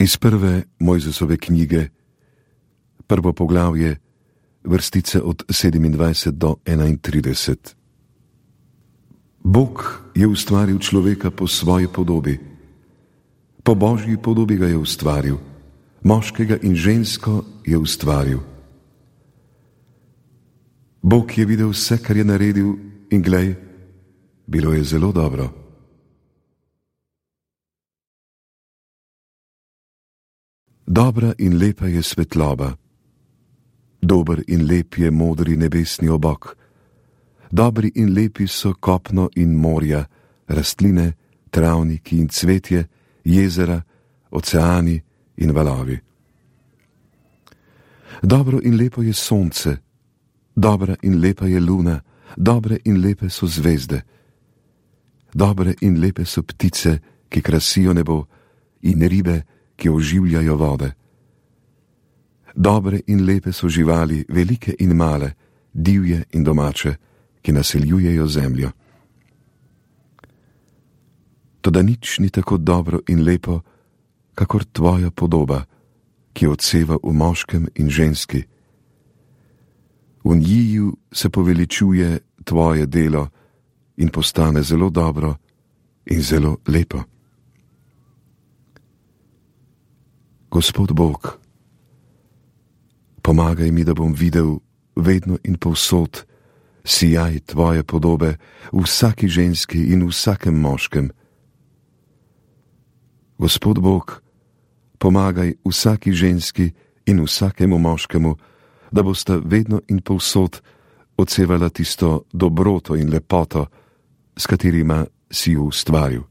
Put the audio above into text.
Iz prve Mojzesove knjige, prvo poglavje, vrstice od 27 do 31. Bog je ustvaril človeka po svoji podobi. Po Božji podobi ga je ustvaril, moškega in žensko je ustvaril. Bog je videl vse, kar je naredil, in glej, bilo je zelo dobro. Dobra in lepa je svetloba, dober in lep je modri nebesni obok, dobri in lepi so kopno in morja, rastline, travniki in cvetje, jezera, oceani in valovi. Dobro in lepo je sonce, dobra in lepa je luna, dobre in lepe so zvezde. Dobre in lepe so ptice, ki krasijo nebo, in ribe, ki oživljajo vode. Dobre in lepe so živali, velike in male, divje in domače, ki naseljujejo zemljo. Toda nič ni tako dobro in lepo, kakor tvoja podoba, ki odseva v moškem in ženski. V njiju se poveličuje tvoje delo in postane zelo dobro in zelo lepo. Gospod Bog, pomagaj mi, da bom videl vedno in povsod sijaj tvoje podobe v vsaki ženski in v vsakem moškem. Gospod Bog, pomagaj vsaki ženski in vsakemu moškemu, da bosta vedno in povsod odsevala tisto dobroto in lepoto, s katerima si ju ustvaril.